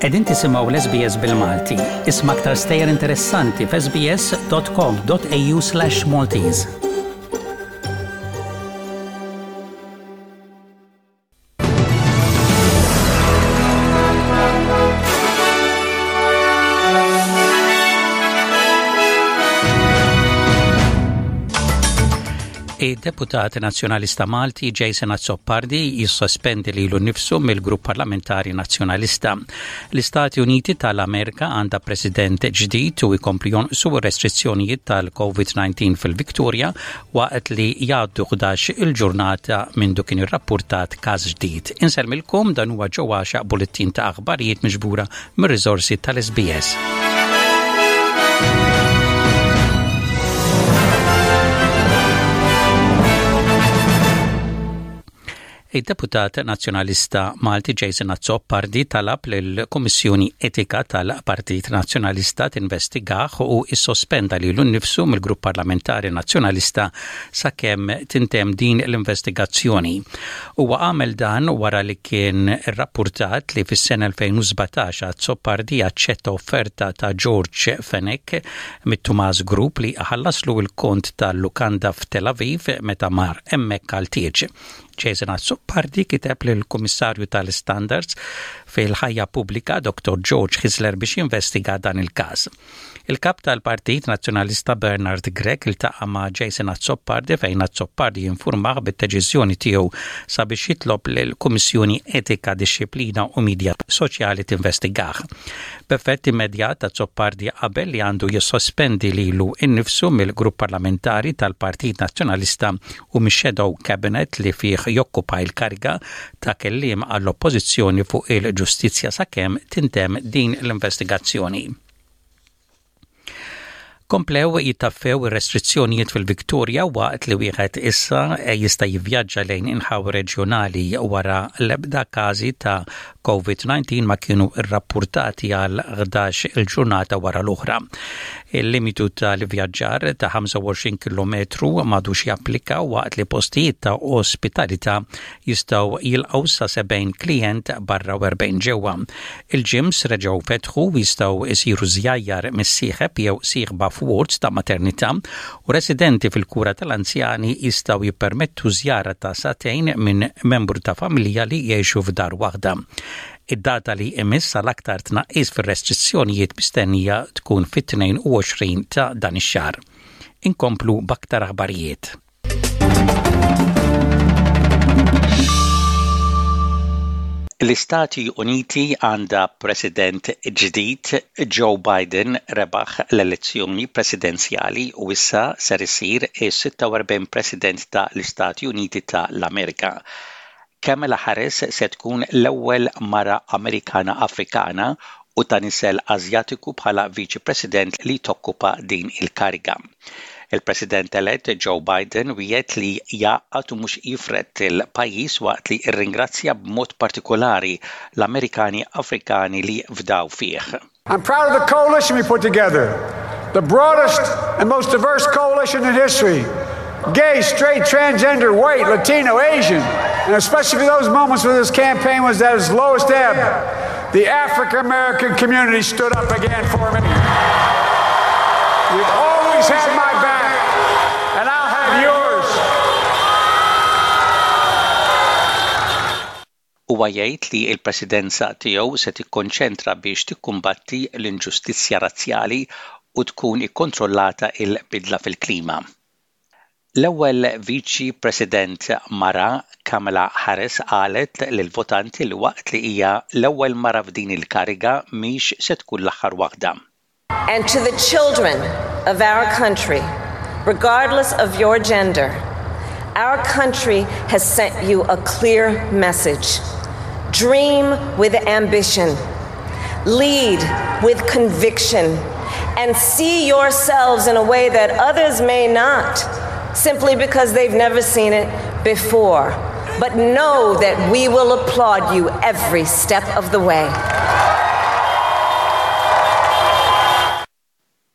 Qegħdin tisimgħu l-SBS bil-Malti. Isma' aktar stejjer interessanti f'sbs.com.au/Maltese. Id-deputat Nazzjonalista Malti Jason Azzopardi jissospendi lilu nnifsu mill-grupp parlamentari Nazzjonalista. L-Istati Uniti tal-Amerika għandha president ġdid u jkomplu jonqsu r-restrizzjonijiet tal-COVID-19 fil-Victoria waqt li jgħaddu 11 il-ġurnata mindu kien irrappurtat każ ġdid. Insellmilkom dan huwa ġo għaxaq bullettin ta' aħbarijiet miġbura mir-riżorsi tal-SBS. Id-deputat Nazzjonalista Malti Jason Azzopardi talab lill-Kummissjoni Etika tal-Partit Nazzjonalista tinvestigah u issospenda lilu nnifsu mill-Grupp Parlamentari Nazzjonalista sakemm tintemm din l-investigazzjoni. Huwa għamel dan wara li kien irrappurtat li fis-sena 2017 Azzopardi aċċetta offerta ta' George Fenech mit-Tumas Group li iħallaslu l-kont tal-lukanda f'Tel Aviv meta mar hemmhekk għal tieġ. Jason Azzopardi kiteb lill-Kummissarju tal-Istandards fil-Ħajja Pubblika Dr. George Hyzler biex jinvestiga dan il-każ. Il-Kap tal-Partit Nazzjonalista Bernard Grech iltaqa' ma' Jason Azzopardi fejn Azzopardi infurmah bid-deċiżjoni tiegħu sabiex jitlob lill-Kummissjoni Etika, Dixxiplina u Midja Soċjali tinvestigah. B'effett immedjat Azzopardi qabel li għandu jissospendi lilu nnifsu mill-Grupp Parlamentari tal-Partit Nazzjonalista u mix-Shadow Cabinet li fih jokkupa l-kariga ta' kelliem għall-Oppożizzjoni fuq il-ġustizzja sakemm tintemm din l-investigazzjoni. Komplew jittaffew ir-restrizzjonijiet fil-Victoria waqt li wieħed issa jista' jivvjaġġa lejn inħawi reġjonali wara l-ebda każi ta' COVID-19 ma kienu rrappurtati għal 11 il-ġurnata wara l-oħra. Il-limitu tal-ivvjaġġar ta' 25 kilometru m'għadux japplika waqt li postijiet ta' ospitalità jistgħu jilqgħu sa 70 klijent barra u 40 ġewwa. Il-gyms reġgħu fetħu u jistgħu jsiru żjajjar mis-sieħeb jew sieħba f'wards ta' maternità u residenti fil-kura tal-anzjani jistgħu jippermettu żjara ta' sagħtejn minn membru ta' familja li jgħixu f'dar waħda. Id-data li jmiss għal aktar tnaqqis fir-restrizzjonijiet mistennija tkun fit-22 ta' dan ix-xahar. Inkomplu b'aktar aħbarijiet. L-Istati Uniti għandha President ġdid, Joe Biden rebaħ l-elezzjoni presidenzjali u issa ser isir is-46 President ta' l-Istati Uniti ta' l-Amerika. Kamala Harris se tkun l-ewwel mara Amerikana Afrikana u ta' nisel Asjatiku bħala Viċi President li tokkupa din il-kariga. Il-President-elett Joe Biden wiegħed li jgħaqqad u mhux jifred il-pajjiż waqt li rringrazzja b'mod partikolari l-Amerikani Afrikani li fdaw fih. I'm proud of the coalition we put together, the broadest and most diverse coalition in history. Gay, straight, transgender, white, Latino, Asian, and especially for those moments when this campaign was at its lowest ebb, the African American community stood up again for me. You've always had my back, and I'll have yours. Huwa jgħid li l-presidenza tiegħu se tikkonċentra biex tikkumbatti l-inġustizzja razzjali u tkun ikkontrollata l-bidla fil-klima. L-ewwel Viċi President mara, Kamala Harris qalet lill-votanti li waqt li hija l-ewwel mara f'din il-kariga mhix se tkun l-aħħar waħda. And to the children of our country, regardless of your gender, our country has sent you a clear message. Dream with ambition. Lead with conviction and see yourselves in a way that others may not, simply because they've never seen it before. But know that we will applaud you every step of the way.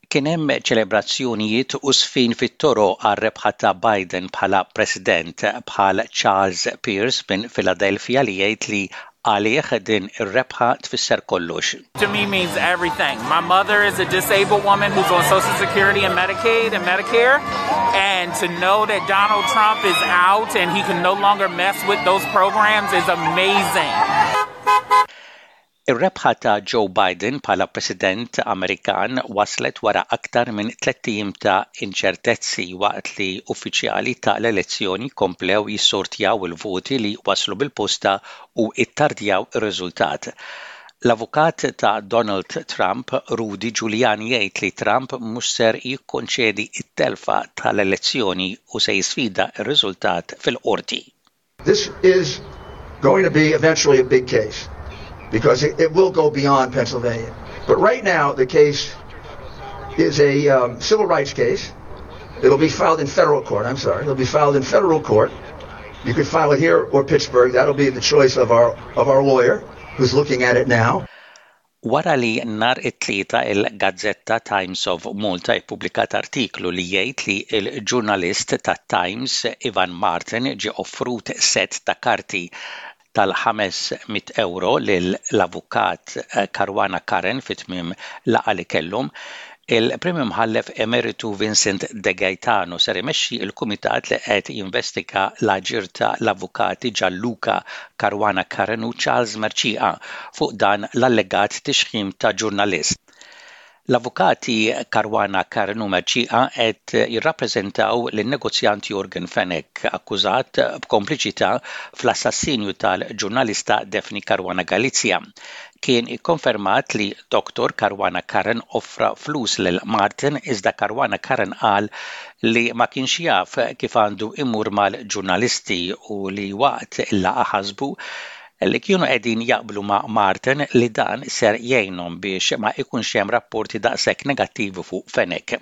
Kien hemm ċelebrazzjonijiet u żfin fit-toroq għar-rebħa ta' Biden bħala President, bħal Charles Pierce minn Philadelphia li jgħid li Għalih din ir-rebħa tfisser kollox. To me means everything. My mother is a disabled woman who's on Social Security and Medicaid and Medicare and to know that Donald Trump is out and he can no longer mess with those programs is amazing. Ir-rebħa ta' Joe Biden bħala President Amerikan waslet wara aktar minn tlett ijiem ta' inċertezzi waqt li uffiċjali ta' l-elezzjoni komplew jissortjaw il-voti li waslu bil-posta u ttardjaw ir-riżultat. L-avukat ta' Donald Trump, Rudy Giuliani jgħid li Trump mhux ser jikkonċedi t-telfa tal-elezzjoni u se jisfida r-riżultat fil-qorti. This is going to be eventually a big case because it, it will go beyond Pennsylvania. But right now, the case is a um, civil rights case. It'll be filed in federal court. I'm sorry. It'll be filed in federal court. You could file it here or Pittsburgh. That'll be the choice of our of our lawyer who's looking at it now. Wara li nhar it-Tlieta il-gazzetta Times of Malta ippubblikat artiklu li jgħid li l-ġurnalist tat-Times Ivan Martin ġie offrut sett ta' karti tal-500 ewro lill-Avukat Caruana Curran fi tmiem laqgħa li kellhom, Il-Prim Imħallef Emeritu Vincent De Gaetano ser imexxi l-kumitat li qed jinvestiga l-aġir ta' l-avukati Gianluca Caruana Curran u Charles Mercieca fuq dan l-allegat tixħim ta' ġurnalist. L-avukati Caruana Curran u Mercieca qed jirrappreżentaw lin-negozjant Yorgen Fenech akkużat b'kompliċità fl-assassinju tal-ġurnalista Daphne Caruana Galizia. Kien ikkonfermat li Dottor Caruana Curran offra flus lil Martin iżda Caruana Curran qal li ma kienx jaf kif għandu imur mal-ġurnalisti u li waqt il-laqgħa ħasbu li kienu qegħdin jaqblu ma' Martin li dan ser jgħinhom biex ma ikunx hemm rapporti daqshekk negattivi fuq Fenech.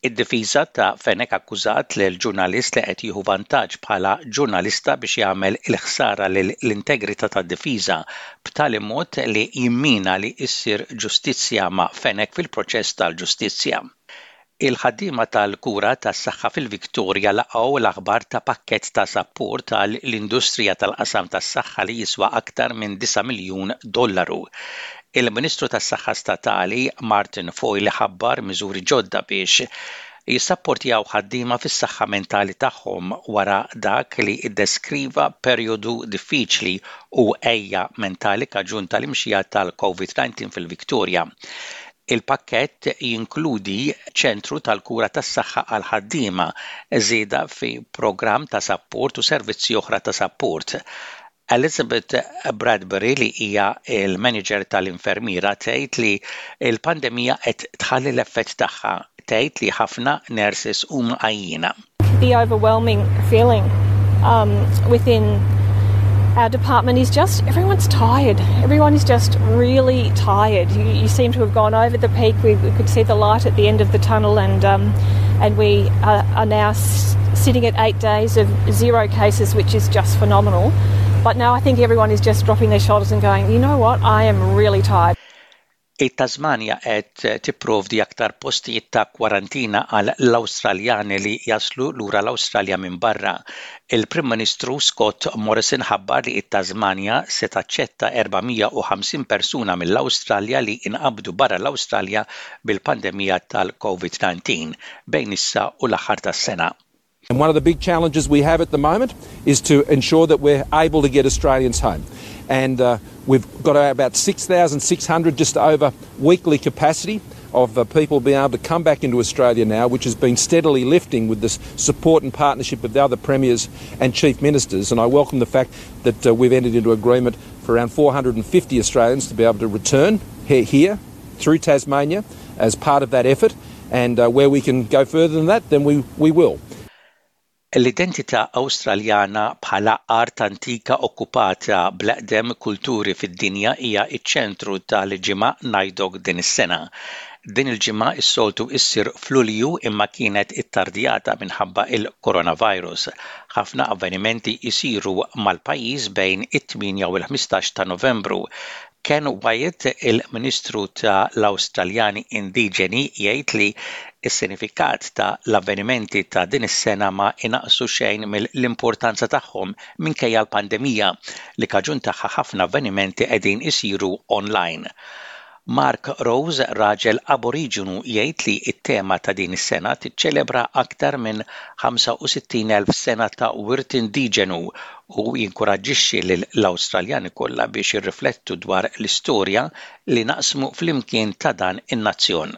Id-difiża ta' Fenech akkużat lill-ġurnalist li qed jieħu vantaġġ bħala ġurnalista biex jagħmel il-ħsara lill-integrità tad-difiża b'tali mod li jimmina li ssir ġustizzja ma' Fenech fil-proċess tal-ġustizzja. Il-ħaddiema tal-kura tas-saħħa fil-Victoria laqgħu l-aħbar ta' pakkett ta' sapport għal l-industrija tal-qasam tas-saħħa li jiswa aktar minn disa' miljun dollaru. Il-Ministru tas-Saħħa Statali, Martin Foyle ħabbar miżuri ġodda biex jissapportjaw ħaddiema fis-saħħa mentali tagħhom wara dak li ddeskriva perjodu diffiċli u għeja mentali kaġun tal-imxija tal-Covid-19 fil-Victoria. Il-pakkett jinkludi ċentru tal-kura tas-saħħa għall-ħaddiema, żieda fi programm ta' sapport u servizzi oħra ta' sapport. Elizabeth Bradbury li hija l-manager tal-infermiera tgħid li l-pandemija qed tħalli l-effett tagħha. Tgħid li ħafna nurses huma għajjiena. The overwhelming feeling um, within our department is just everyone's tired. Everyone is just really tired. You, you seem to have gone over the peak. We, we could see the light at the end of the tunnel, and um, and we are, are now sitting at eight days of zero cases, which is just phenomenal. But now I think everyone is just dropping their shoulders and going, you know what, I am really tired. It-Tasmanja qed tipprovdi aktar postijiet ta' kwarantina għal l-Awstraljani li jaslu lura l-Awstralja minn barra. Il-Prim Ministru Scott Morrison ħabbar li t-Tasmanja se taċċetta 450 persuna mill-Awstralja li inqabdu barra l-Awstralja bil-pandemija tal-COVID-19 bejn issa u l-aħħar tas-sena. And one of the big challenges we have at the moment is to ensure that we're able to get Australians home. And uh, we've got about 6,600 just over weekly capacity of uh, people being able to come back into Australia now, which has been steadily lifting with the support and partnership of the other premiers and chief ministers. And I welcome the fact that uh, we've entered into agreement for around 450 Australians to be able to return here, here through Tasmania as part of that effort. And uh, where we can go further than that, then we, we will. L-identità Awstraljana bħala art antika okkupata bl-eqdem kulturi fid-dinja hija ċ-ċentru tal-Ġimgħa Naidoc din is-sena. Din il-ġimgħa s-soltu issir f'Lulju imma kienet ittardjata minħabba l-coronavirus. Ħafna avvenimenti jsiru mal-pajjiż bejn it-8 u l-15 ta' Novembru. Ken Wyatt, il-Ministru ta' l-Awstraljani Indiġeni, jgħid li Is-sinifikat ta' l-avvenimenti ta' din is-sena ma inaqqsu xejn mill-importanza tagħhom minkejja l-pandemija li kaġun tagħha ħafna avvenimenti qegħdin isiru online. Mark Rose, raġel Aboriġinu jgħid li t-tema ta' din is-sena tiċċelebra aktar minn 65,000 sena ta' wirt indiġenu u jinkuraġġixxi lill-Awstraljani kollha biex jirriflettu dwar l-istorja li naqsmu flimkien ta' dan in-nazzjon.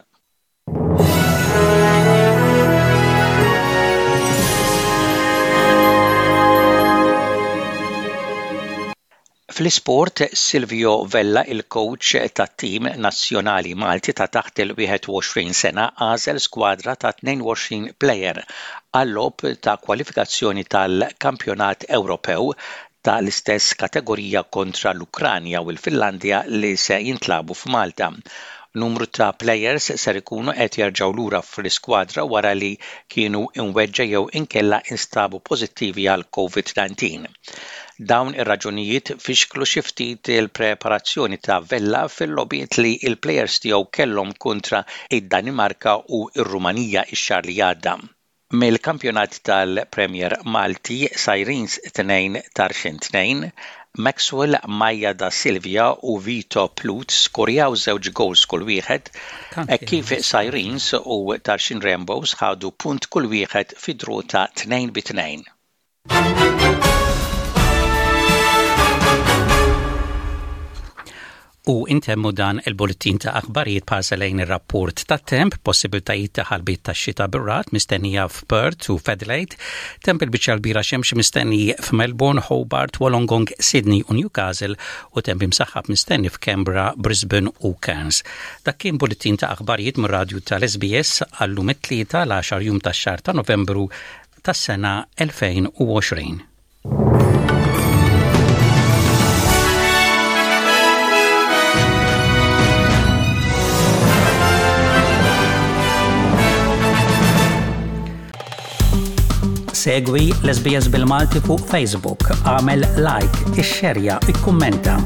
Fl-isport, Silvio Vella, il-kowċ tat-tim nazzjonali Malti ta' taħt il-21 sena għażel skwadra ta' 22 plejer għal-logħob ta' kwalifikazzjoni tal-Kampjonat Ewropew ta' l-istess kategorija kontra l-Ukranja u l-Finlandja li se jintlagħbu f'Malta. Numru ta' plejers ser ikunu qed jerġgħu lura fl-iskwadra wara li kienu imweġġa' jew inkella instabu pożittivi għal Covid-19. Dawn ir-raġunijiet fixklu xi ftit il-preparazzjoni ta' Vella fil-logħbiet li l-plejers tiegħu kellhom kontra d-Danimarka u r-Rumanija x-xahar li għadda. Mill-kampjonat tal-Premier Malti, Sirens 2 Tarxien 2, Maxwell Maia da Silvia u Vito Plut skorjaw żewġ gowls kull wieħed, hekk kif Sirens u Tarxien Rainbows ħadu punt kull wieħed fi draw ta' 2 bi 2. U intemmu dan il-bulletin ta' aħbarijiet b'ħarsa lejn ir-rapport tat-temp, possibiltajiet ta' ħalbiet tax-xita bir-ragħad mistennija f'Perth u f'Adelaide, temp il-biċċa l-kbira xemx mistenni f'Melbourne, Hobart, Wollongong, Sydney u Newcastle u temp imsaħħab mistenni f'Canberra, Brisbane u Cairns. Dak kien bulletin ta' aħbarijiet mir-radju tal-SBS għallum it-Tlieta l-10 jum tax-xahar ta' Novembru tas-sena 2020. Segwi l-SBS bil-Malti fuq Facebook, għamel like, ixxerja, ikkummenta.